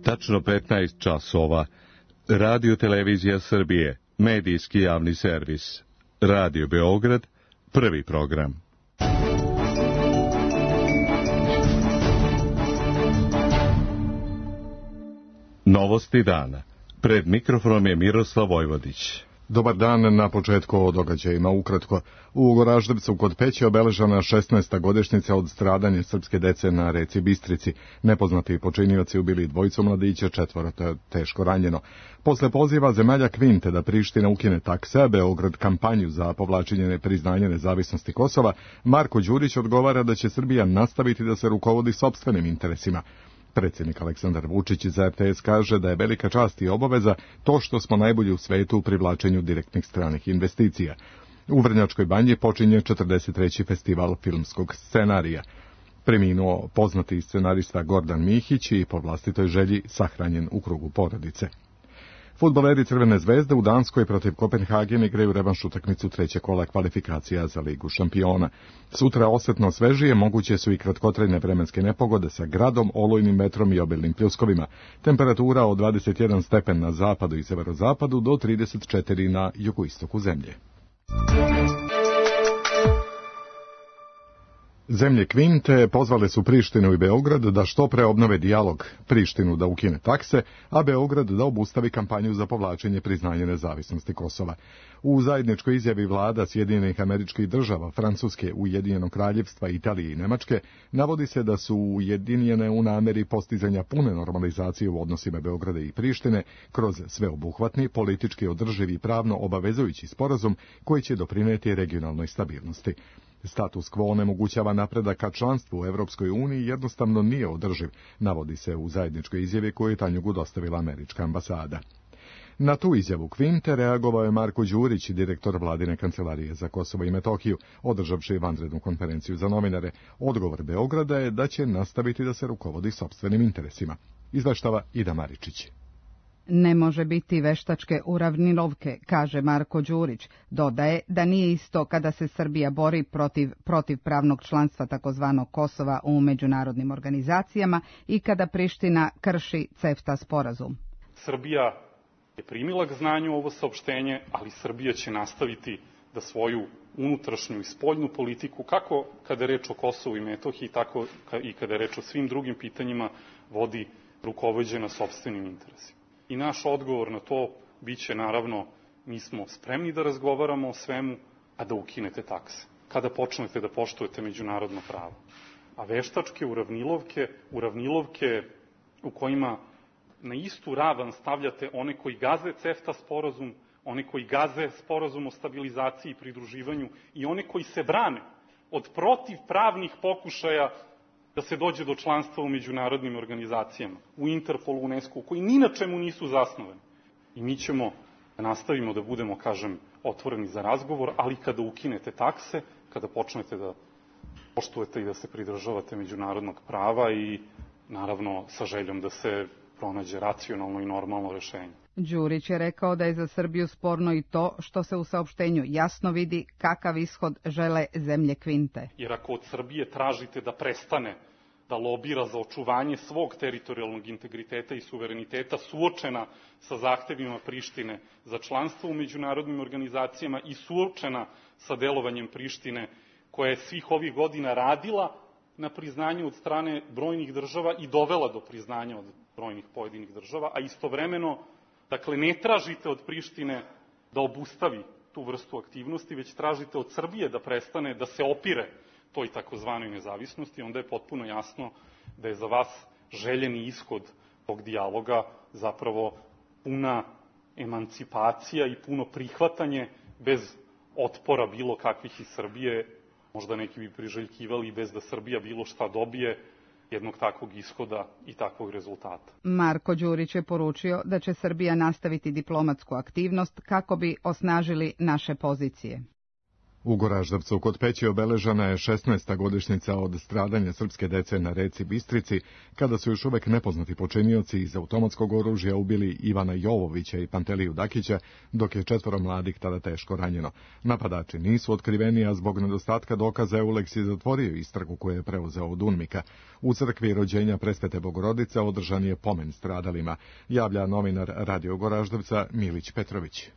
Tačno 15 časova. Radio Televizija Srbije, medijski javni servis. Radio Beograd, prvi program. Novosti dana. Pred mikrofonom je Miroslav Vojvodić. Dobar dan, na početku o događajima ukratko. U Goraždevcu kod Peći obeležana 16. godišnjica od stradanja srpske dece na reci Bistrici. Nepoznati počinioci ubili dvojicu mladića, 4 teško ranjeno. Posle poziva zemalja Kvinte da Priština ukine takse, Beograd kampanju za povlačenje nepriznanja nezavisnosti Kosova, Marko Đurić odgovara da će Srbija nastaviti da se rukovodi sopstvenim interesima. Predsjednik Aleksandar Vučić za RTS kaže da je velika čast i obaveza to što smo najbolji u svetu u privlačenju direktnih stranih investicija. U Vrnjačkoj banji počinje 43. festival filmskog scenarija. Preminuo poznati scenarista Gordan Mihić i po vlastitoj želji sahranjen u krugu porodice. Fudbaleri Crvene zvezde u Danskoj protiv Kopenhagen igraju revanš utakmicu trećeg kola kvalifikacija za Ligu šampiona. Sutra osetno svežije moguće su i kratkotrajne vremenske nepogode sa gradom, olujnim vetrom i obilnim pljuskovima. Temperatura od 21 stepen na zapadu i severozapadu do 34 na jugoistoku zemlje. Zemlje Kvinte pozvale su Prištinu i Beograd da što pre obnove dijalog, Prištinu da ukine takse, a Beograd da obustavi kampanju za povlačenje priznanja nezavisnosti Kosova. U zajedničkoj izjavi vlada Sjedinjenih Američkih Država, Francuske, Ujedinjenog Kraljevstva, Italije i Nemačke navodi se da su ujedinjene u nameri postizanja pune normalizacije u odnosima Beograda i Prištine kroz sveobuhvatni, politički održivi i pravno obavezujući sporazum koji će doprinijeti regionalnoj stabilnosti. Status quo onemogućava napredak ka članstvu u Evropskoj uniji jednostavno nije održiv, navodi se u zajedničkoj izjavi koju je Tanjugu dostavila američka ambasada. Na tu izjavu Kvinte reagovao je Marko Đurić, direktor vladine kancelarije za Kosovo i Metohiju, održavši vanrednu konferenciju za novinare. Odgovor Beograda je da će nastaviti da se rukovodi sopstvenim interesima. Izveštava Ida Maričić. Ne može biti veštačke uravnilovke, kaže Marko Đurić. Dodaje da nije isto kada se Srbija bori protiv pravnog članstva takozvanog Kosova u međunarodnim organizacijama i kada Priština krši CEFTA sporazum. Srbija je primila k znanju ovo saopštenje, ali Srbija će nastaviti da svoju unutrašnju i spoljnu politiku, kako kada je reč o Kosovu i Metohiji, tako i kada je reč o svim drugim pitanjima, vodi rukovođena sopstvenim interesima. I naš odgovor na to biće, naravno, mi smo spremni da razgovaramo o svemu, a da ukinete takse. Kada počnete da poštujete međunarodno pravo. A veštačke uravnilovke u kojima na istu ravan stavljate one koji gaze CEFTA sporazum, one koji gaze sporazum o stabilizaciji i pridruživanju i one koji se brane od protivpravnih pokušaja da se dođe do članstva u međunarodnim organizacijama, u Interpolu, UNESCO, koji ni na čemu nisu zasnovani. I mi ćemo da nastavimo da budemo, kažem, otvoreni za razgovor, ali kada ukinete takse, kada počnete da poštujete i da se pridržavate međunarodnog prava i, naravno, sa željom da se pronađe racionalno i normalno rešenje. Đurić je rekao da je za Srbiju sporno i to što se u saopštenju jasno vidi kakav ishod žele zemlje Kvinte. Jer ako od Srbije tražite da prestane da lobira za očuvanje svog teritorijalnog integriteta i suvereniteta suočena sa zahtevima Prištine za članstvo u međunarodnim organizacijama i suočena sa delovanjem Prištine koja je svih ovih godina radila na priznanju od strane brojnih država i dovela do priznanja od brojnih pojedinih država, a istovremeno, dakle, ne tražite od Prištine da obustavi tu vrstu aktivnosti, već tražite od Srbije da prestane da se opire toj takozvanoj nezavisnosti, onda je potpuno jasno da je za vas željeni ishod tog dijaloga zapravo puna emancipacija i puno prihvatanje bez otpora bilo kakvih iz Srbije, možda neki bi priželjkivali bez da Srbija bilo šta dobije, jednog takvog ishoda i takvog rezultata. Marko Đurić je poručio da će Srbija nastaviti diplomatsku aktivnost kako bi osnažili naše pozicije. U Goraždevcu kod Peći obeležena je 16. godišnjica od stradanja srpske dece na reci Bistrici, kada su još uvek nepoznati počinioci iz automatskog oružja ubili Ivana Jovovića i Panteliju Dakića, dok je 4 mladih tada teško ranjeno. Napadači nisu otkriveni, a zbog nedostatka dokaza Euleks je zatvorio istragu koju je preuzeo od UNMIK-a. U crkvi rođenja Presvete Bogorodice održan je pomen stradalima, javlja novinar Radio Goraždevca Milić Petrović.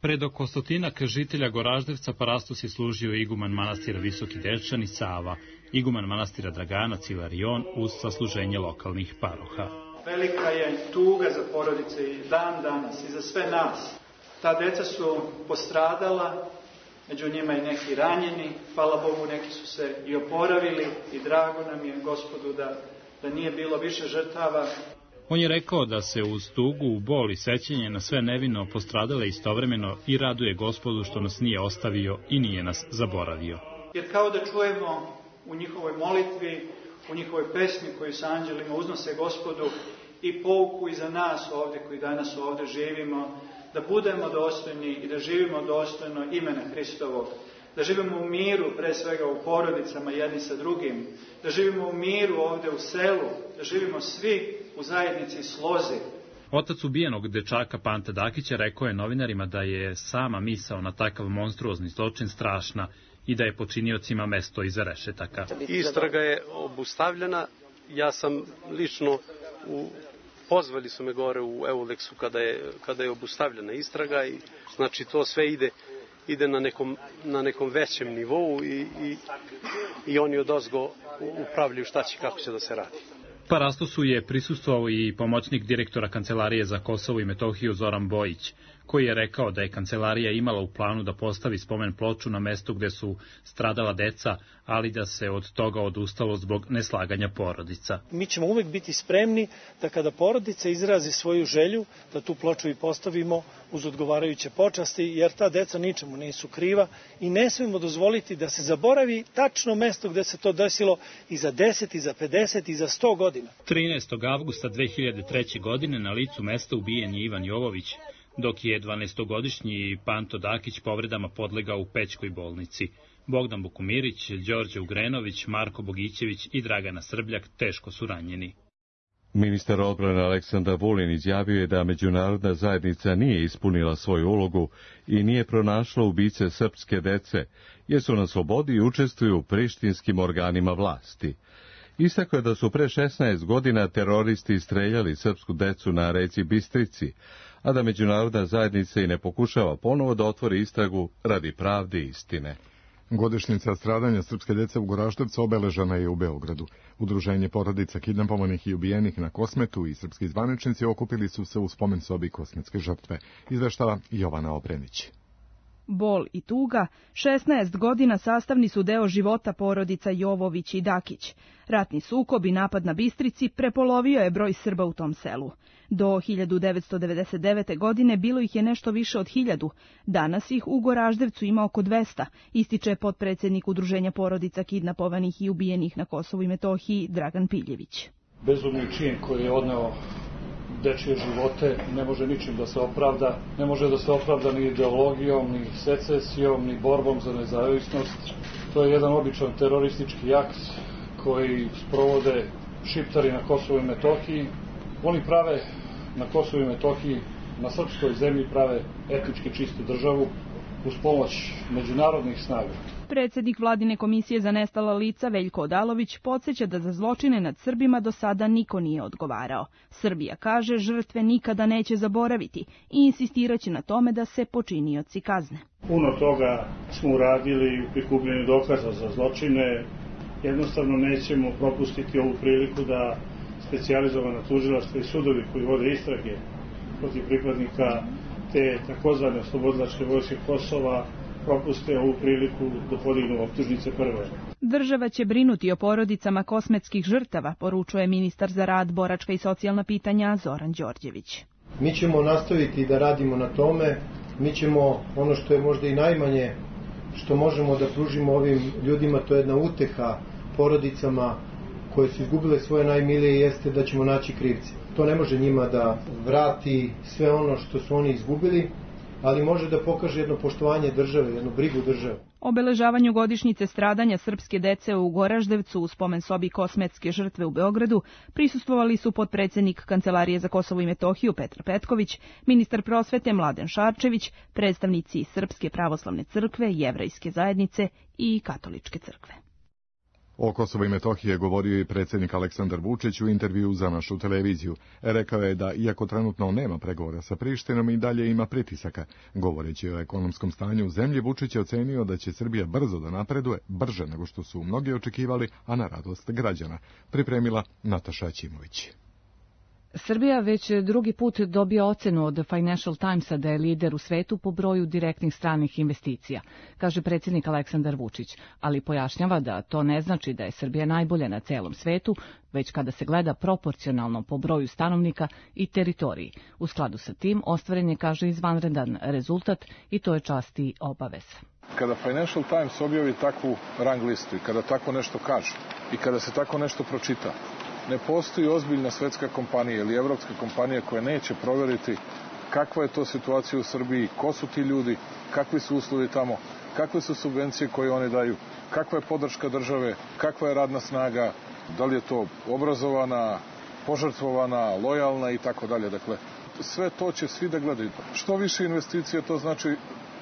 Pred oko 100 žitelja Goraždevca parastos je služio iguman manastira Visoki Dečani Sava, iguman manastira Draganac Ilarion uz sasluženje lokalnih paroha. Velika je tuga za porodice i dan danas i za sve nas. Ta deca su postradala, među njima i neki ranjeni, hvala Bogu neki su se i oporavili i drago nam je Gospodu da nije bilo više žrtava. On je rekao da se uz tugu, bol i sećanje na sve nevino postradale istovremeno i raduje Gospodu što nas nije ostavio i nije nas zaboravio. Jer kao da čujemo u njihovoj molitvi, u njihovoj pesmi koju sa anđelima uznose Gospodu i pouku i za nas ovdje koji danas ovdje živimo, da budemo dostojni i da živimo dostojno imena Hristovog, da živimo u miru, pre svega u porodicama jedni sa drugim, da živimo u miru ovdje u selu, da živimo svi u zajednici slozi. Otac ubijenog dečaka Panta Dakića rekao je novinarima da je sama misao na takav monstruozni zločin strašna i da je počiniocima mesto iza rešetaka. Istraga je obustavljena, ja sam lično pozvali su me gore u Euleksu kada je obustavljena istraga i znači to sve ide na nekom većem nivou i oni odozgo upravljaju šta će, kako će da se radi. Parastosu je prisustvovao i pomoćnik direktora Kancelarije za Kosovo i Metohiju Zoran Bojić, koji je rekao da je kancelarija imala u planu da postavi spomen ploču na mestu gde su stradala deca, ali da se od toga odustalo zbog neslaganja porodica. Mi ćemo uvek biti spremni da kada porodica izrazi svoju želju, da tu ploču i postavimo uz odgovarajuće počasti, jer ta deca ničemu nisu kriva i ne smemo dozvoliti da se zaboravi tačno mesto gde se to desilo i za 10, i za 50, i za 100 godina. 13. avgusta 2003. godine na licu mesta ubijen je Ivan Jovović, dok je 12-godišnji Panto Dakić povredama podlegao u Pećkoj bolnici. Bogdan Bukumirić, Đorđe Ugrenović, Marko Bogićević i Dragana Srbljak teško su ranjeni. Ministar odbrane Aleksandar Vulin izjavio je da međunarodna zajednica nije ispunila svoju ulogu i nije pronašla ubice srpske dece, jer su na slobodi i učestvuju u prištinskim organima vlasti. Istakao je da su pre 16 godina teroristi streljali srpsku decu na reci Bistrici, a da međunarodna zajednica i ne pokušava ponovo da otvori istragu radi pravde i istine. Godišnjica stradanja srpske dece u Goraždevcu obeležena je u Beogradu. Udruženje porodica kidnapovanih i ubijenih na Kosmetu i srpski zvaničnici okupili su se u spomen sobi kosmetske žrtve. Izveštava Jovana Obrenić. Bol i tuga 16 godina sastavni su deo života porodica Jovović i Dakić. Ratni sukob i napad na Bistrici prepolovio je broj Srba u tom selu. Do 1999. godine bilo ih je nešto više od 1000, danas ih u Goraždevcu ima oko 200, ističe potpredsednik Udruženja porodica kidnapovanih i ubijenih na Kosovu i Metohiji Dragan Piljević. Bezumni čin koji je odneo dečije živote ne može ničim da se opravda, ne može da se opravda ni ideologijom, ni secesijom, ni borbom za nezavisnost. To je jedan običan teroristički akt koji sprovode šiptari na Kosovu i Metohiji. Oni prave na Kosovu i Metohiji, na srpskoj zemlji prave etnički čistu državu uz pomoć međunarodnih snaga. Predsednik Vladine komisije za nestala lica Veljko Odalović podsjeća da za zločine nad Srbima do sada niko nije odgovarao. Srbija kaže žrtve nikada neće zaboraviti i insistiraće na tome da se počinioci kazne. Puno toga smo uradili u prikupljenju dokaza za zločine. Jednostavno nećemo propustiti ovu priliku da specijalizovana tužilaštva i sudovi koji vode istrage protiv pripadnika te takozvane oslobodilačke vojske Kosova propuste ovu priliku da podignu optužnice prve. Država će brinuti o porodicama kosmetskih žrtava, poručuje ministar za rad, boračka i socijalna pitanja Zoran Đorđević. Mi ćemo nastaviti da radimo na tome, mi ćemo ono što je možda i najmanje što možemo da pružimo ovim ljudima, to je jedna uteha porodicama koje su izgubile svoje najmilije, jeste da ćemo naći krivce. To ne može njima da vrati sve ono što su oni izgubili, ali može da pokaže jedno poštovanje države, jednu brigu države. Obeležavanju godišnjice stradanja srpske dece u Goraždevcu u spomen sobi Kosmetske žrtve u Beogradu prisustvovali su potpredsednik Kancelarije za Kosovo i Metohiju Petar Petković, ministar prosvete Mladen Šarčević, predstavnici Srpske pravoslavne crkve, Jevrejske zajednice i Katoličke crkve. O Kosovo i Metohiji je govorio i predsjednik Aleksandar Vučić u intervju za našu televiziju. Rekao je da, iako trenutno nema pregovora sa Prištinom, i dalje ima pritisaka. Govoreći o ekonomskom stanju u zemlji, Vučić je ocenio da će Srbija brzo da napreduje, brže nego što su mnogi očekivali, a na radost građana. Pripremila Nataša Ćimović. Srbija već drugi put dobija ocenu od Financial Timesa da je lider u svetu po broju direktnih stranih investicija, kaže predsjednik Aleksandar Vučić, ali pojašnjava da to ne znači da je Srbija najbolja na celom svetu, već kada se gleda proporcionalno po broju stanovnika i teritoriji. U skladu sa tim ostvaren je, kaže, izvanredan rezultat i to je čast i obaveza. Kada Financial Times objavi takvu rang listu i kada tako nešto kaže i kada se tako nešto pročita, ne postoji ozbiljna svetska kompanija ili evropska kompanija koja neće provjeriti kakva je to situacija u Srbiji, ko su ti ljudi, kakvi su uslovi tamo, kakve su subvencije koje oni daju, kakva je podrška države, kakva je radna snaga, da li je to obrazovana, požrtvovana, lojalna i tako dalje. Dakle, sve to će svi da gledaju. Što više investicije, to znači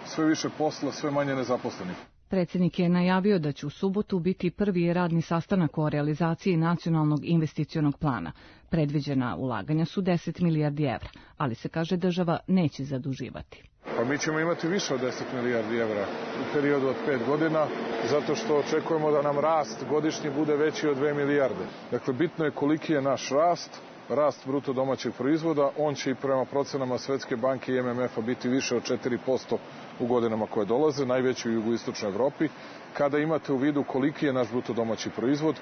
sve više posla, sve manje nezaposlenih. Predsjednik je najavio da će u subotu biti prvi radni sastanak o realizaciji nacionalnog investicionog plana. Predviđena ulaganja su 10 milijardi evra, ali se kaže država neće zaduživati. Pa mi ćemo imati više od 10 milijardi evra u periodu od 5 godina, zato što očekujemo da nam rast godišnji bude veći od 2 milijarde. Dakle, bitno je koliki je naš rast bruto domaćeg proizvoda, on će i prema procenama Svetske banke i MMF-a biti više od 4% u godinama koje dolaze, najveći u jugoistočnoj Evropi. Kada imate u vidu koliki je naš bruto domaći proizvod,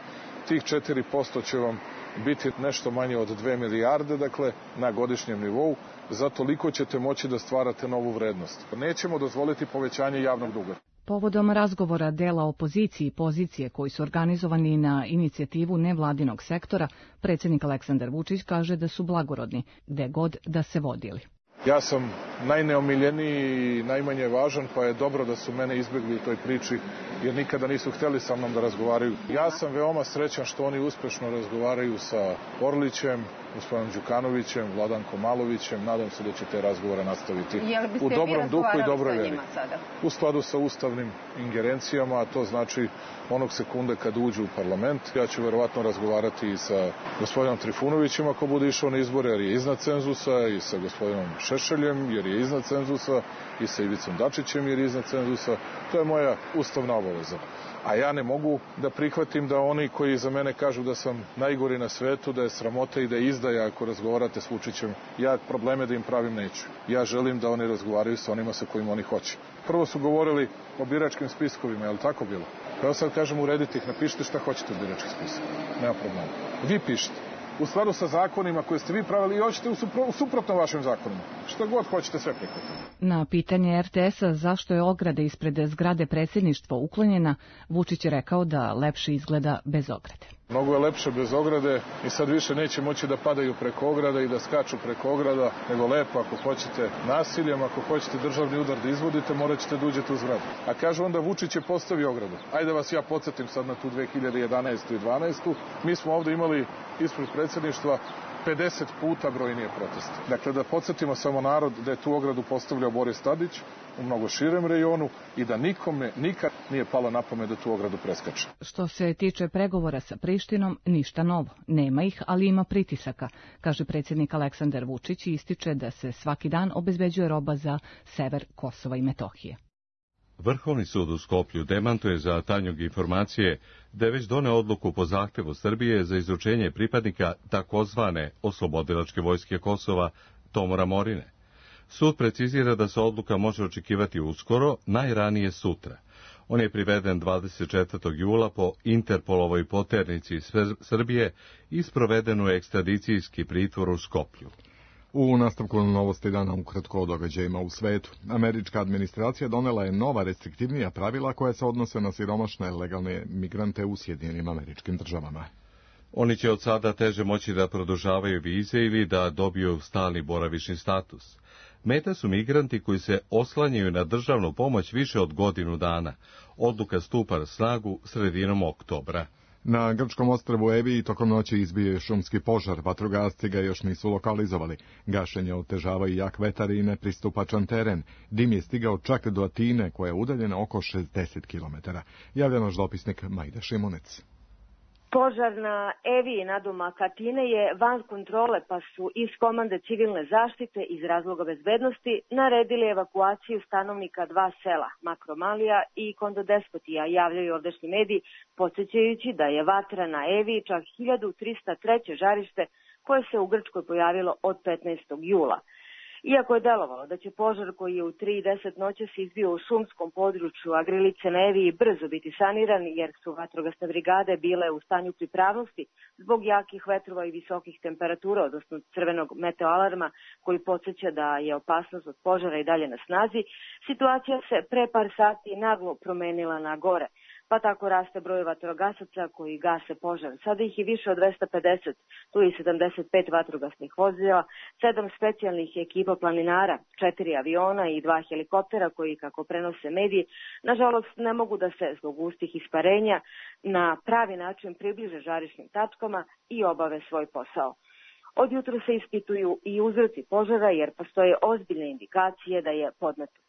tih 4% će vam biti nešto manje od 2 milijarde, dakle, na godišnjem nivou, za toliko ćete moći da stvarate novu vrednost. Nećemo dozvoliti povećanje javnog duga. Povodom razgovora dela opozicije i pozicije koji su organizovani na inicijativu nevladinog sektora, predsjednik Aleksandar Vučić kaže da su blagorodni, gde god da se vodili. Ja sam najneomiljeniji i najmanje važan, pa je dobro da su mene izbjegli u toj priči, jer nikada nisu htjeli sa mnom da razgovaraju. Ja sam veoma srećan što oni uspešno razgovaraju sa Orlićem, gospodinom Đukanovićem, Vladankom Malovićem. Nadam se da će te razgovore nastaviti u dobrom duhu i dobroj veri. U skladu sa ustavnim ingerencijama, a to znači onog sekunde kad uđu u parlament. Ja ću verovatno razgovarati i sa gospodinom Trifunovićem ako bude išao na izbore, jer je iznad cenzusa, i sa gospodinom Šešeljem, jer je iznad cenzusa, i sa Ivicom Dačićem, jer je iznad cenzusa. To je moja ustavna obaveza. A ja ne mogu da prihvatim da oni koji za mene kažu da sam najgori na svetu, da je sramota i da je izdaja ako razgovarate s Vučićem, ja probleme da im pravim neću. Ja želim da oni razgovaraju sa onima sa kojima oni hoće. Prvo su govorili o biračkim spiskovima, je li tako bilo? Pa ja sad kažem, uredite ih, napišite šta hoćete od biračkih spiskova. Nema problema. Vi pišite. U skladu sa zakonima koje ste vi pravili i hoćete suprotno vašim zakonima. Što god hoćete, sve prihvatiti. Na pitanje RTS-a zašto je ograda ispred zgrade predsjedništva uklonjena, Vučić je rekao da lepše izgleda bez ograde. Mnogo je lepše bez ograde i sad više neće moći da padaju preko ograda i da skaču preko ograda, nego lepo ako hoćete nasiljem, ako hoćete državni udar da izvodite, morat ćete da uđete u zgradu. A kaže onda Vučić je postavio ogradu. Ajde vas ja podsjetim sad na tu 2011. i 2012. Mi smo ovdje imali ispred predsjedništva 50 puta brojnije proteste. Dakle, da podsjetimo samo narod da je tu ogradu postavljao Boris Tadić u mnogo širem rejonu i da nikome nikad nije palo na pamet da tu ogradu preskače. Što se tiče pregovora sa Prištinom, ništa novo. Nema ih, ali ima pritisaka, kaže predsjednik Aleksandar Vučić i ističe da se svaki dan obezbeđuje roba za sever Kosova i Metohije. Vrhovni sud u Skoplju demantuje za Tanjug informacije da je već doneo odluku po zahtevu Srbije za izručenje pripadnika takozvane oslobodilačke vojske Kosova Tomora Morine. Sud precizira da se odluka može očekivati uskoro, najranije sutra. On je priveden 24. jula po Interpolovoj poternici Srbije i sproveden u ekstradicijski pritvor u Skoplju. U nastavku novosti dana ukratko o događajima u svetu. Američka administracija donela je nova restriktivnija pravila koja se odnose na siromašne legalne migrante u Sjedinjenim Američkim Državama. Oni će od sada teže moći da produžavaju vize ili da dobiju stalni boravišni status. Meta su migranti koji se oslanjaju na državnu pomoć više od godinu dana. Odluka stupa na snagu sredinom oktobra. Na grčkom ostrvu Evi tokom noći izbio je šumski požar, vatrogasci ga još nisu lokalizovali. Gašenje otežava i jak vetar i nepristupačan teren. Dim je stigao čak do Atine, koja je udaljena oko 60 km. Javlja naš dopisnik Majda Šimunec. Požar na Evi nadomak Atine je van kontrole, pa su iz komande civilne zaštite iz razloga bezbednosti naredili evakuaciju stanovnika dva sela, Makromalija i Kondodespotija, javljaju ovdašnji mediji, podsjećajući da je vatra na Evi čak 1303. žarište koje se u Grčkoj pojavilo od 15. jula. Iako je delovalo da će požar koji je u 3:10 noća se izbio u šumskom području Agrilice na Evi brzo biti saniran, jer su vatrogasne brigade bile u stanju pripravnosti zbog jakih vetrova i visokih temperatura, odnosno crvenog meteoalarma koji podsjeća da je opasnost od požara i dalje na snazi, situacija se pre par sati naglo promenila na gore. Pa tako raste broj vatrogasaca koji gase požar. Sada ih je više od 250, tu je 75 vatrogasnih vozila, 7 specijalnih ekipa planinara, 4 aviona i 2 helikoptera koji, kako prenose mediji, nažalost ne mogu da se zbog gustih isparenja na pravi način približe žarišnim tačkama i obave svoj posao. Od jutra se ispituju i uzroci požara jer postoje ozbiljne indikacije da je podmetnut.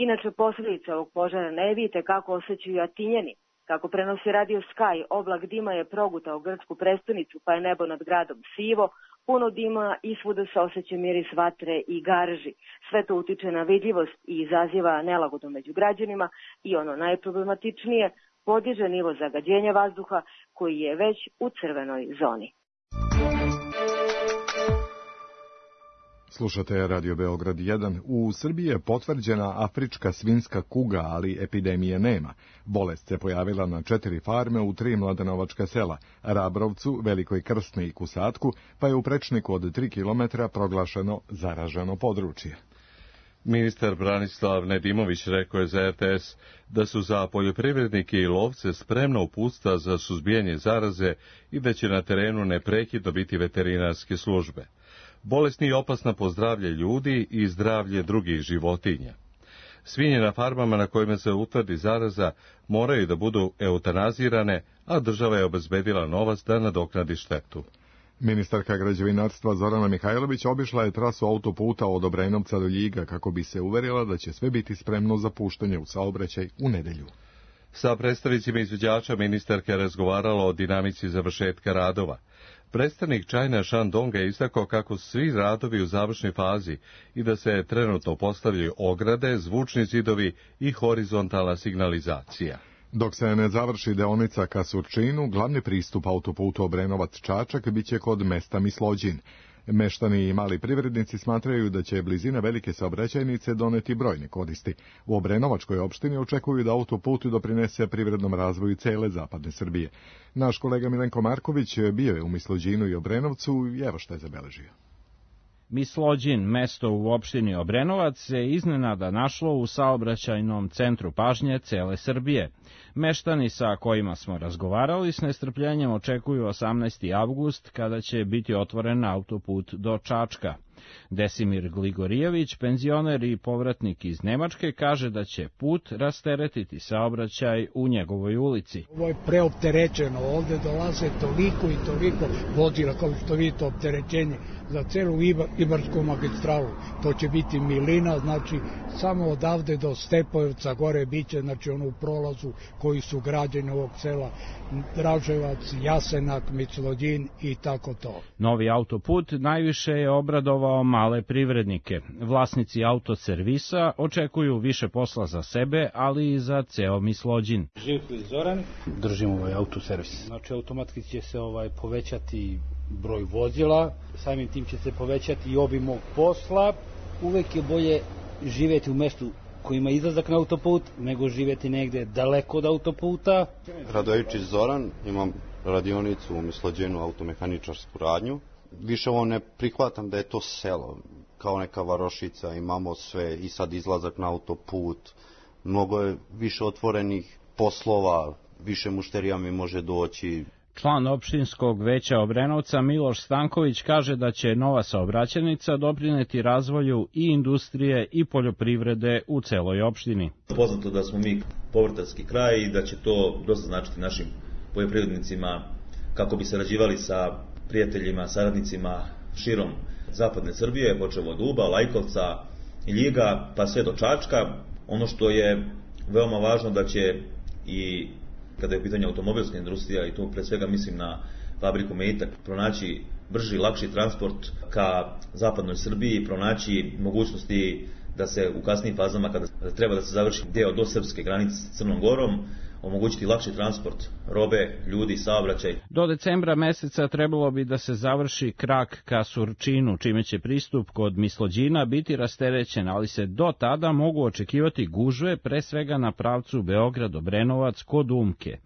Inače, posljedice ovog požara na Evi tekako osjećaju Atinjani. Kako prenosi Radio Sky, oblak dima je progutao grčku prestonicu, pa je nebo nad gradom sivo, puno dima i svuda se osjeća miris vatre i garži. Sve to utiče na vidljivost i izaziva nelagodu među građanima i ono najproblematičnije, podiže nivo zagađenja vazduha koji je već u crvenoj zoni. Slušate Radio Beograd 1. U Srbiji je potvrđena afrička svinjska kuga, ali epidemije nema. Bolest se pojavila na 4 farme u 3 mladenovačka sela, Rabrovcu, Velikoj Krsni i Kusatku, pa je u prečniku od 3 km proglašeno zaraženo područje. Ministar Branislav Nedimović rekao je za RTS da su za poljoprivrednike i lovce spremna uputstva za suzbijanje zaraze i da će na terenu neprekidno biti veterinarske službe. Bolest nije opasna po zdravlje ljudi i zdravlje drugih životinja. Svinje na farmama na kojima se utvrdi zaraza moraju da budu eutanazirane, a država je obezbedila novac da nadoknadi štetu. Ministarka građevinarstva Zorana Mihajlović obišla je trasu autoputa od Obrenovca do Ljiga kako bi se uverila da će sve biti spremno za puštanje u saobraćaj u nedelju. Sa predstavnicima izvođača ministarka je razgovarala o dinamici završetka radova. Predstavnik China Shandonga je istakao kako su svi radovi u završnoj fazi i da se trenutno postavljaju ograde, zvučni zidovi i horizontalna signalizacija. Dok se ne završi deonica ka Surčinu, glavni pristup autoputu Obrenovac-Čačak biće kod mesta Mislođin. Meštani i mali privrednici smatraju da će blizina velike saobraćajnice doneti brojne koristi. U Obrenovačkoj opštini očekuju da autoput doprinese privrednom razvoju cele zapadne Srbije. Naš kolega Milenko Marković bio je u Mislođinu i Obrenovcu i evo što je zabeležio. Mislođin, mesto u opštini Obrenovac, se iznenada našlo u saobraćajnom centru pažnje cele Srbije. Meštani sa kojima smo razgovarali s nestrpljenjem očekuju 18. avgust kada će biti otvoren autoput do Čačka. Desimir Gligorijević, penzioner i povratnik iz Nemačke, kaže da će put rasteretiti saobraćaj u njegovoj ulici. Ovo je preopterećeno, ovde dolaze toliko i toliko vozila, kao što vidite opterećenje za celu Ibarsku magistralu. To će biti milina, znači samo odavde do Stepojevca gore biće, znači ono u prolazu koji su građani ovog sela, Draževac, Jasenak, Mislođin i tako to. Novi autoput najviše je obradovao male privrednike. Vlasnici autoservisa očekuju više posla za sebe, ali i za ceo Mislođin. Živko i Zoran, držimo ovaj autoservis. Znači automatski će se povećati broj vozila, samim tim će se povećati i obim mog posla. Uvek je bolje živjeti u mestu koji ima izlazak na autoput, nego živjeti negde daleko od autoputa. Radojičić Zoran, imam radionicu u Mislođinu, automehaničarsku radnju. Više ovo ne prihvatam da je to selo, kao neka varošica, imamo sve i sad izlazak na autoput, mnogo je više otvorenih poslova, više mušterija mi može doći. Član opštinskog veća Obrenovca Miloš Stanković kaže da će nova saobraćajnica doprineti razvoju i industrije i poljoprivrede u celoj opštini. Poznato da smo mi povrtarski kraj i da će to dosta značiti našim poljoprivrednicima kako bi sarađivali sa prijateljima, saradnicima širom zapadne Srbije, počev od Uba, Lajkovca, Ljiga, pa sve do Čačka. Ono što je veoma važno da će i kada je u pitanju automobilska industrija, i tu pre svega mislim na fabriku Meitak, pronaći brži, lakši transport ka zapadnoj Srbiji, pronaći mogućnosti da se u kasnijim fazama, kada treba da se završi deo do srpske granice s Crnom Gorom, omogućiti lakši transport robe, ljudi, saobraćaj. Do decembra meseca trebalo bi da se završi krak ka Surčinu, čime će pristup kod Mislođina biti rasterećen, ali se do tada mogu očekivati gužve, pre svega na pravcu Beograd-Obrenovac kod Umke.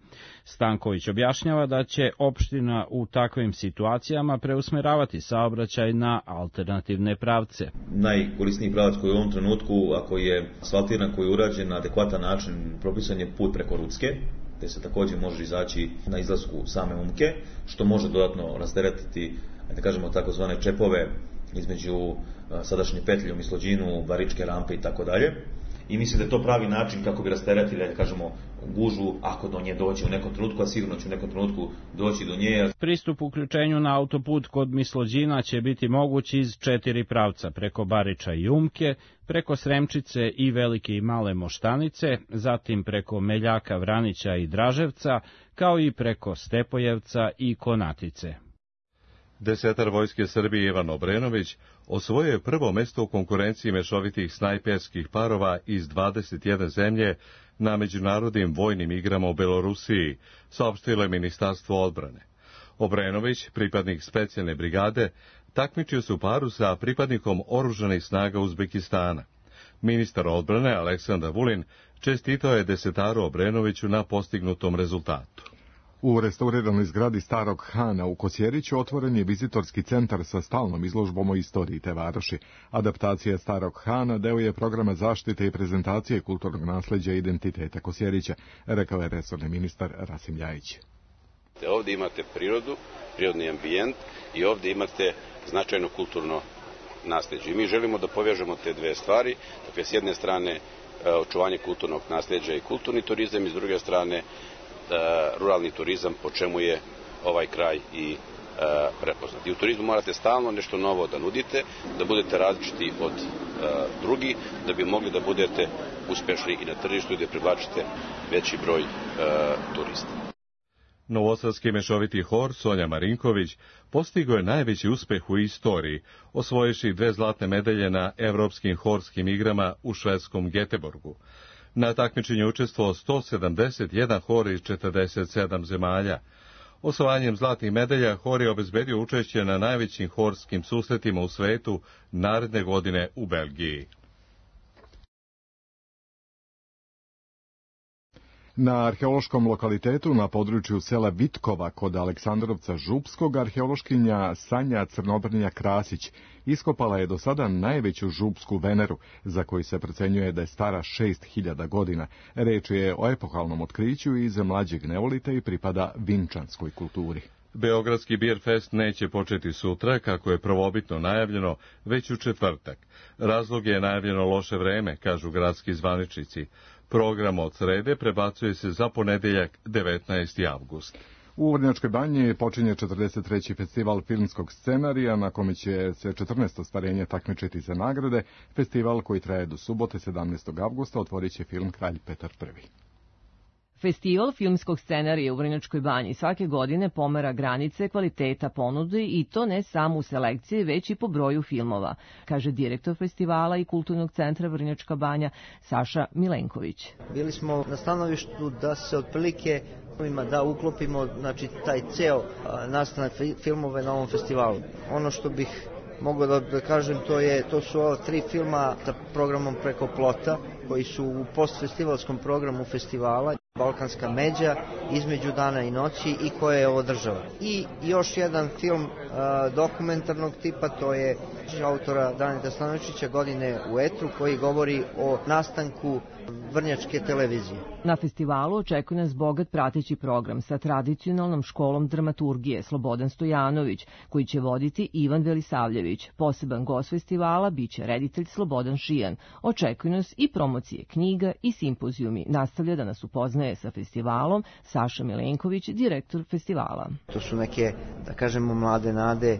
Stanković objašnjava da će opština u takvim situacijama preusmeravati saobraćaj na alternativne pravce. Najkorisniji pravac koji je u ovom trenutku, ako je asfaltiran, koji je urađen na adekvatan način, propisan je put preko Rucke, gde se također može izaći na izlasku same Umke, što može dodatno rasteretiti, da kažemo, takozvane čepove između sadašnje petlje u Mislođinu, Baričke rampe i tako dalje. I mislim da je to pravi način kako bi rasteretili, da kažemo, gužvu, ako do nje doći u nekom trenutku, a sigurno će u nekom trenutku doći do nje. Pristup uključenju na autoput kod Mislođina će biti moguć iz 4 pravca, preko Bariča i Umke, preko Sremčice i Velike i Male Moštanice, zatim preko Meljaka, Vranića i Draževca, kao i preko Stepojevca i Konatice. Desetar Vojske Srbije Ivan Obrenović osvojio je prvo mesto u konkurenciji mešovitih snajperskih parova iz 21 zemlje na međunarodnim vojnim igrama u Belorusiji, saopštilo je Ministarstvo odbrane. Obrenović, pripadnik specijalne brigade, takmičio se u paru sa pripadnikom oružanih snaga Uzbekistana. Ministar odbrane Aleksandar Vulin čestitao je desetaru Obrenoviću na postignutom rezultatu. U restauriranoj zgradi Starog Hana u Kosjeriću otvoren je vizitorski centar sa stalnom izložbom o istoriji te varoši. Adaptacija Starog Hana deo je programa zaštite i prezentacije kulturnog nasleđa i identiteta Kosjerića, rekao je resorni ministar Rasim Ljajić. Ovdje imate prirodu, prirodni ambijent i ovdje imate značajno kulturno nasleđe. I mi želimo da povežemo te dve stvari, dakle s jedne strane očuvanje kulturnog nasleđa i kulturni turizam i s druge strane ruralni turizam, po čemu je ovaj kraj i prepoznat. I u turizmu morate stalno nešto novo da nudite, da budete različiti od drugih, da bi mogli da budete uspešni i na tržištu i da privlačite veći broj turista. Novosadski mešoviti hor Sonja Marinković postigao je najveći uspeh u istoriji, osvojivši 2 zlatne medalje na Evropskim horskim igrama u švedskom Geteborgu. Na takmičenju učestvovao 171 hor iz 47 zemalja. Osvajanjem zlatnih medalja hor je obezbedio učešće na najvećim horskim susretima u svetu naredne godine u Belgiji. Na arheološkom lokalitetu na području sela Vitkova kod Aleksandrovca Župskog arheološkinja Sanja Crnobrnja Krasić iskopala je do sada najveću župsku Veneru, za koju se procenjuje da je stara 6000 godina. Reč je o epohalnom otkriću iz mlađeg neolita i pripada vinčanskoj kulturi. Beogradski Beer Fest neće početi sutra, kako je prvobitno najavljeno, već u četvrtak. Razlog je najavljeno loše vreme, kažu gradski zvaničnici. Program od srede prebacuje se za ponedeljak 19. avgust. U Vrnjačkoj banji počinje 43. festival filmskog scenarija, na kome će se 14 ostvarenja takmičiti za nagrade. Festival koji traje do subote 17. avgusta otvorit će film Kralj Petar I. Festival filmskog scenarija u Vrnjačkoj banji svake godine pomera granice kvaliteta ponude i to ne samo u selekciji, već i po broju filmova, kaže direktor festivala i kulturnog centra Vrnjačka banja Saša Milenković. Bili smo na stanovištu da se otprilike da uklopimo, znači, taj ceo nastanak filmove na ovom festivalu. Ono što bih mogao da kažem, to su ova 3 filma sa programom Preko plota, koji su u postfestivalskom programu festivala. Balkanska međa Između dana i noći i koja je ovo država. I još jedan film dokumentarnog tipa, to je autora Daneta Stanojevića Godine u etru, koji govori o nastanku vrnjačke televizije. Na festivalu očekuje nas bogat prateći program sa tradicionalnom školom dramaturgije Slobodan Stojanović, koji će voditi Ivan Velisavljević. Poseban gost festivala biće reditelj Slobodan Šijan. Očekuje nas i promocije knjiga i simpozijumi. Nastavlja da nas upoznaje sa festivalom Saša Milenković, direktor festivala. To su neke, da kažemo, mlade nade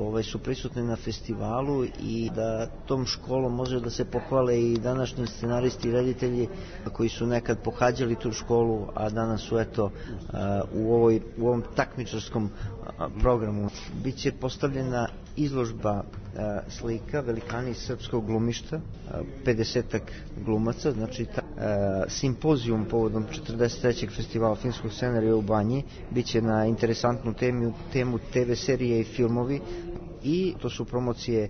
koje su prisutne na festivalu i da tom školom može da se pohvale i današnji scenaristi i reditelji koji su nekad pohađali tu školu, a danas su u ovom takmičarskom programu. Biće postavljena izložba slika Velikani srpskog glumišta, 50-ak glumaca, znači simpozijum povodom 43. festivala filmskog scenarija u Banji biće na interesantnu temu TV serije i filmovi, i to su promocije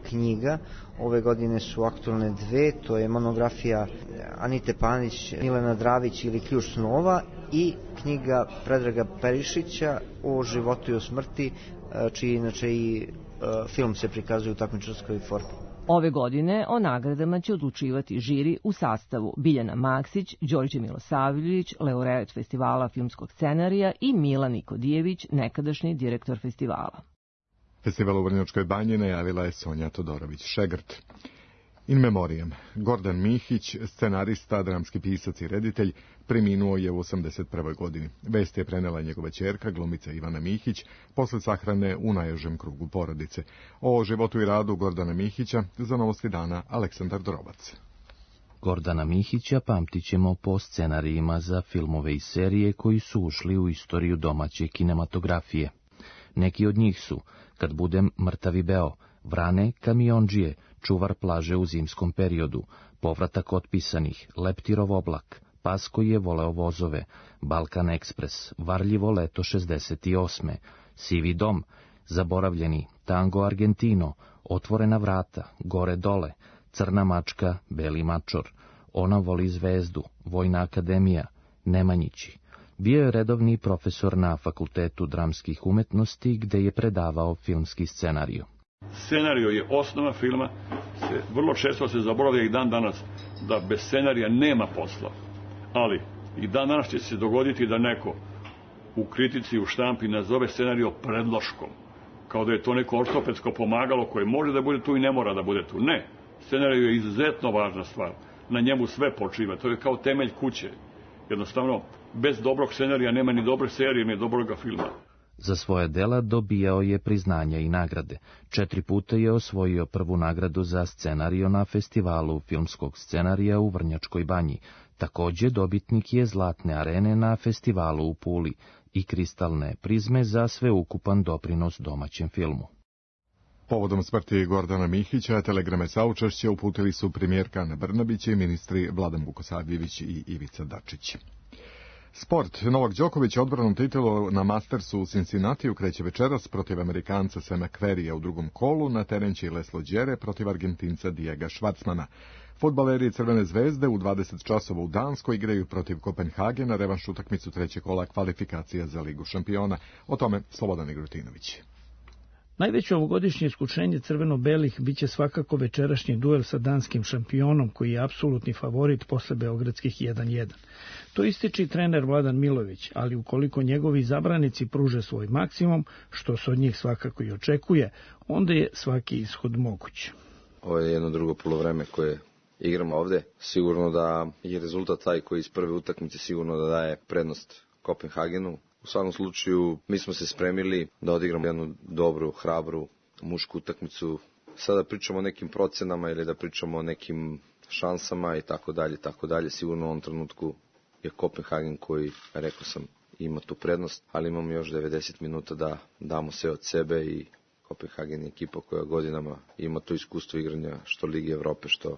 knjiga. Ove godine su aktualne dve, to je monografija Anite Panić, Milena Dravić ili Ključ snova, i knjiga Predraga Perišića o životu i o smrti, čiji inače i film se prikazuje u takmičarskoj formi. Ove godine o nagradama će odlučivati žiri u sastavu Biljana Maksić, Đorđe Milosavljević, laureat festivala filmskog scenarija, i Milan Nikodijević, nekadašnji direktor festivala. Festival u Vrnjačkoj Banji najavila je Sonja Todorović-Šegrt. In memoriam, Gordan Mihić, scenarista, dramski pisac i reditelj, preminuo je u 81. godini. Vest je prenela njegova ćerka, glumica Ivana Mihić, posle sahrane u najužem krugu porodice. O životu i radu Gordana Mihića za Novosti dana Aleksandar Drobac. Gordana Mihića pamtit ćemo po scenarijima za filmove i serije koji su ušli u istoriju domaće kinematografije. Neki od njih su Kad budem mrtavi beo, Vrane kamiondžije, Čuvar plaže u zimskom periodu, Povratak otpisanih, Leptirov oblak, Pas koji je voleo vozove, Balkan ekspres, Varljivo leto 68. Sivi dom, Zaboravljeni, Tango Argentino, Otvorena vrata, Gore dole, Crna mačka, Beli mačor, Ona voli zvezdu, Vojna akademija, Nemanjići. Bio je redovni profesor na Fakultetu dramskih umetnosti, gde je predavao filmski scenariju. Scenario je osnova filma, vrlo često se zaboravlja i dan danas da bez scenarija nema posla. Ali i dan danas će se dogoditi da neko u kritici, u štampi nazove scenario predloškom, kao da je to neko ortopedsko pomagalo koje može da bude tu i ne mora da bude tu. Ne, scenario je izuzetno važna stvar, na njemu sve počiva, to je kao temelj kuće. Jednostavno, bez dobrog scenarija nema ni dobre serije, ni dobrog filma. Za svoje dela dobijao je priznanja i nagrade. 4 puta je osvojio prvu nagradu za scenario na festivalu filmskog scenarija u Vrnjačkoj Banji. Takođe dobitnik je Zlatne arene na festivalu u Puli i Kristalne prizme za sveukupan doprinos domaćem filmu. Povodom smrti Gordana Mihića, telegrame saučešća uputili su premijerka Ana Brnabić i ministri Vladan Vukosavljević i Ivica Dačić. Sport. Novak Đoković odbranom titulu na Mastersu u Cincinnatiju kreće večeras protiv Amerikanca Sema Querrya u drugom kolu, na teren će Leslo Đere protiv Argentinca Diega Schwartzmana. Fudbaleri Crvene zvezde u 20 časova u Danskoj igraju protiv Kopenhagena revanš utakmicu trećeg kola kvalifikacija za Ligu šampiona. O tome Slobodan Igrutinović. Najveće ovogodišnje iskušenje crveno-belih biće svakako večerašnji duel sa danskim šampionom, koji je apsolutni favorit posle beogradskih 1-1. To ističe trener Vladan Milović, ali ukoliko njegovi zabranici pruže svoj maksimum, što se od njih svakako i očekuje, onda je svaki ishod moguć. Ovo je jedno drugo polovreme koje igramo ovde. Sigurno da je rezultat taj koji iz prve utakmice sigurno da daje prednost Kopenhagenu. U svakom slučaju, mi smo se spremili da odigramo jednu dobru, hrabru, mušku utakmicu. Sada pričamo o nekim procenama ili da pričamo o nekim šansama i tako dalje. Sigurno u ovom trenutku je Kopenhagen koji, rekao sam, ima tu prednost, ali imamo još 90 minuta da damo sve od sebe i Kopenhagen je ekipa koja godinama ima to iskustvo igranja što Lige Evrope, što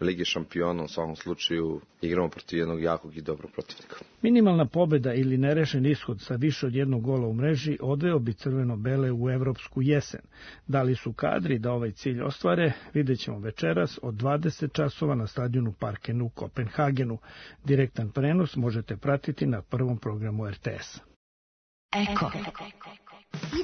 Lige šampiona, u svakom slučaju igramo protiv jednog jakog i dobrog protivnika. Minimalna pobeda ili nerešen ishod sa više od jednog gola u mreži odveo bi crveno-bele u evropsku jesen. Da li su kadri da ovaj cilj ostvare, vidjet ćemo večeras od 20 časova na stadionu Parken u Kopenhagenu. Direktan prenos možete pratiti na prvom programu RTS. Eko.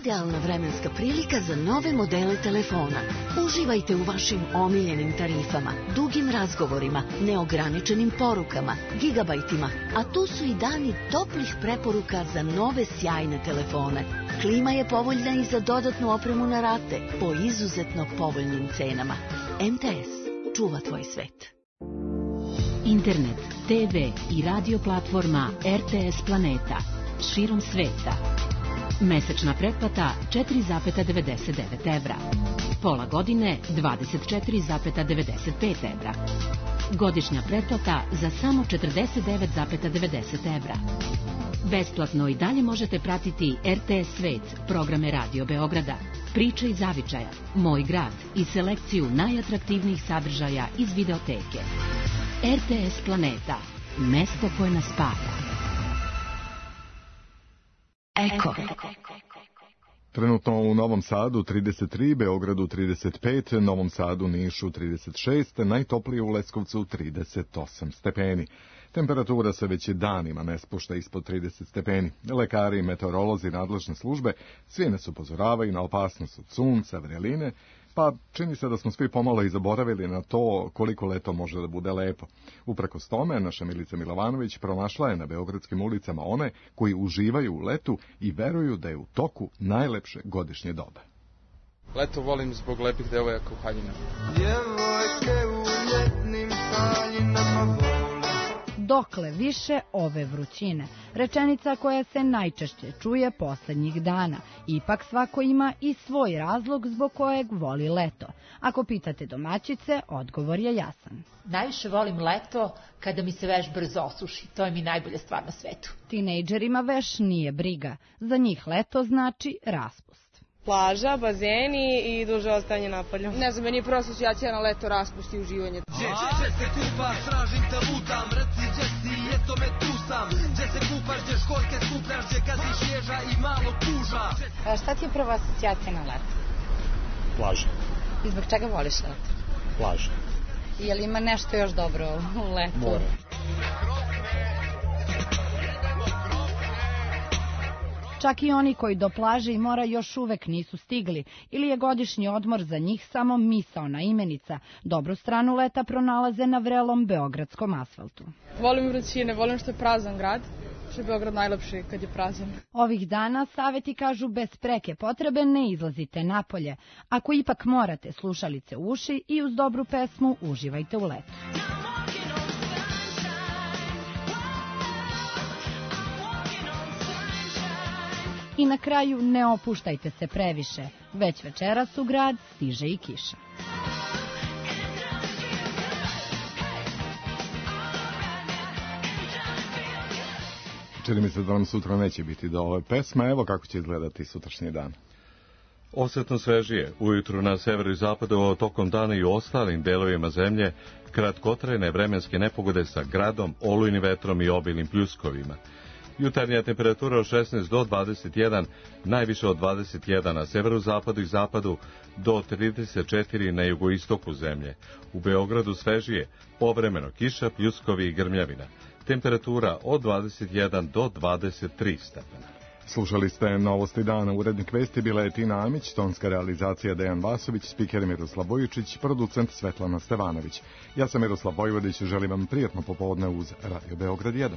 Idealna vremenska prilika za nove modele telefona. Uživajte u vašim omiljenim tarifama, dugim razgovorima, neograničenim porukama, gigabajtima, a tu su i dani toplih preporuka za nove sjajne telefone. Klima je povoljna i za dodatnu opremu na rate po izuzetno povoljnim cenama. MTS čuva tvoj svet. Internet, TV i radio platforma RTS Planeta širom sveta. Mesečna pretplata 4,99 evra. Pola godine 24,95 evra. Godišnja pretplata za samo 49,90 evra. Besplatno i dalje možete pratiti RTS Svet, programe Radio Beograda, Priče iz Zavičaja, Moj grad i selekciju najatraktivnijih sadržaja iz videoteke. RTS Planeta, mesto koje nas spaja. Eko. Trenutno u Novom Sadu 33, Beogradu 35, Novom Sadu, Nišu 36, najtoplije u Leskovcu 38 stepeni. Temperatura se već danima ne spušta ispod 30 stepeni. Lekari i meteorolozi nadležne službe svi nas upozoravaju na opasnost od sunca, vreline, pa čini se da smo svi pomalo i zaboravili na to koliko leto može da bude lepo. Uprkos tome, naša Milica Milovanović pronašla je na beogradskim ulicama one koji uživaju u letu i veruju da je u toku najlepše godišnje doba. Leto volim zbog lepih devojaka u haljinama. Djevojke u ljetnim haljinama volim. Dokle više ove vrućine, rečenica koja se najčešće čuje poslednjih dana. Ipak svako ima i svoj razlog zbog kojeg voli leto. Ako pitate domaćice, odgovor je jasan. Najviše volim leto kada mi se veš brzo osuši. To je mi najbolja stvar na svetu. Tinejdžerima veš nije briga. Za njih leto znači raspust. Plaža, bazeni i duže ostajanje napolju. Ne znam, meni je prva asocijacija na leto, raspust i uživanje. Gdje se kupaš, tražim te lutam, reci gdje si, eto me tu sam. Gdje se kupaš, gdje školjke skupljaš, gdje gaziš ježa i malo kuža. Šta ti je prva asocijacija na leto? Plaža. I zbog čega voliš leto? Plaža. Je li ima nešto još dobro u letu? More. Čak i oni koji do plaže i mora još uvek nisu stigli, ili je godišnji odmor za njih samo misaona imenica, dobru stranu leta pronalaze na vrelom beogradskom asfaltu. Volim vrućine, volim što je prazan grad, što je Beograd najlepši kad je prazan. Ovih dana saveti kažu bez preke potrebe ne izlazite napolje. Ako ipak morate, slušalice u uši i uz dobru pesmu uživajte u letu. I na kraju ne opuštajte se previše, već večeras u grad stiže i kiša. Čini mi se da nam sutra neće biti do ove pesme, evo kako će izgledati sutrašnji dan. Osetno svežije, ujutru na severu i zapadu, tokom dana i u ostalim delovima zemlje, kratkotrajne vremenske nepogode sa gradom, olujnim vetrom i obilnim pljuskovima. Jutarnja temperatura od 16 do 21, najviše od 21 na severu, zapadu i zapadu, do 34 na jugoistoku zemlje. U Beogradu svežije, povremeno kiša, pljuskovi i grmljavina. Temperatura od 21 do 23 stepena. Slušali ste Novosti dana, urednik vesti bila je Tina Amić, tonska realizacija Dejan Vasović, spiker Miroslav Bojičić, producent Svetlana Stevanović. Ja sam Miroslav Vojvodić, želim vam prijatno popodne uz Radio Beograd 1.